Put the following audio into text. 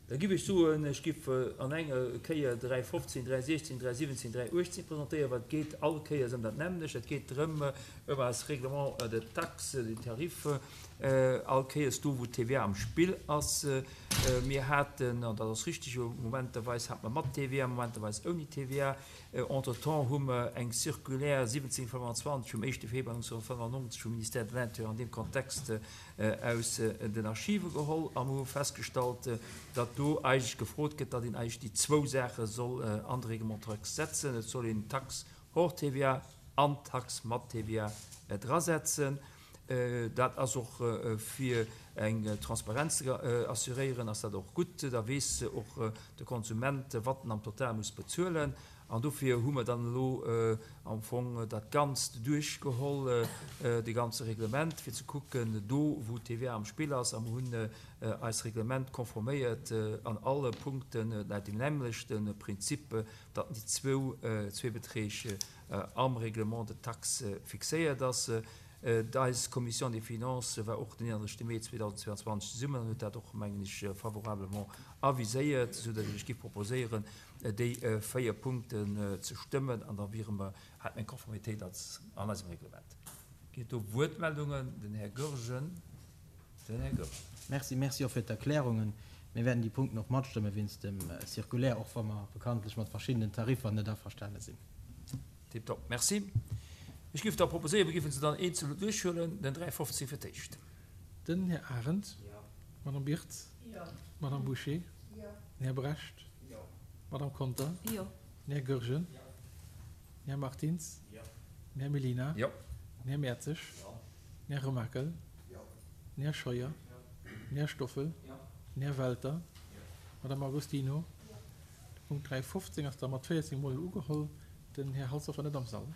Da giff ech soen, ech giff an enger Kéier 3.15, 3.16, 3.17, 3.18 presentéieren, well et geet all Kéiers ëm dat nämmlecht. Et geet drëm, ëm eis Règlement de taxes, de tarifs, all Kéiers do, wou d'TVA am Spill ass. Mir haten, an dat ass richtig, momenterweis hate mer mat TVA, momenterweis ouni TVA. Entretemps hu mer eng Circulaire 1725 vum éischte Februar 1995 vum Ministère de l'Intérieur an deem Kontext aus den Archive geholl a mer hu festgestallt, datt do eigentlech gefrot gëtt, datt een eigentlech déi zwou Saache soll an de Règlement taxe setzen. Et soll een d'Taxe hors TVA an d'Taxe mat TVA drasetzen. Dat ass och fir eng Transparenz ze assuréieren, ass dat och gutt. Da weess och de Konsument, wat en am Total muss bezuelen. An dofir hu mer dann elo am Fong dat Ganzt duerchgeholl, de ganze Reglement, fir ze kucken, do wou d'TVA am Spill ass, a mer hunn eist Reglement konforméiert an alle Punkten laut deem nämmlechte Prinzip, datt déi zwou Beträg am Règlement de taxe fixéiert ass. Eis Commission des Finances war och den 31 Mee 2022 zesummen an huet dat och, mengen ech, favorablement aviséiert, soudatt ech lech géif proposéieren, déi véier Punkten ze stëmmen an da wiere mer, hätte mer eng Konformitéit als an eisem Reglement. Ginn et do Wuertmeldungen? Den Här Goergen. Den Här Goergen. Merci. Merci och fir d'Erklärungen. Mir wäerten déi Punkten och matstëmme wéinst dem Circulaire, och wa mer bekanntlech mat verschiddenen Tariffer net averstane sinn. Tiptop, merci. Ech géif da proposéieren, mir géife se dann eenzel duerchhuelen. Den 315 fir d'éischt. Den Här Arendt. Jo. D'Madame Birtz. Jo. D'Madame Bouché. Jo. Den Här Brecht. Jo. D'Madame Conter. Jo. Den Här Goergen. Jo. Den Här Martins. Jo. Den Här Mellina. Jo. Den Här Mertzig. Jo. Den Här Remakel. Jo. Den Här Scheuer. Jo. Den Här Stoffel. Jo. Den Här Welter. Jo. D'Madame Agostino. Jo. De Punkt 315 ass da mat 14 Mol ugeholl. Den Här Halsdorf war net am Sall.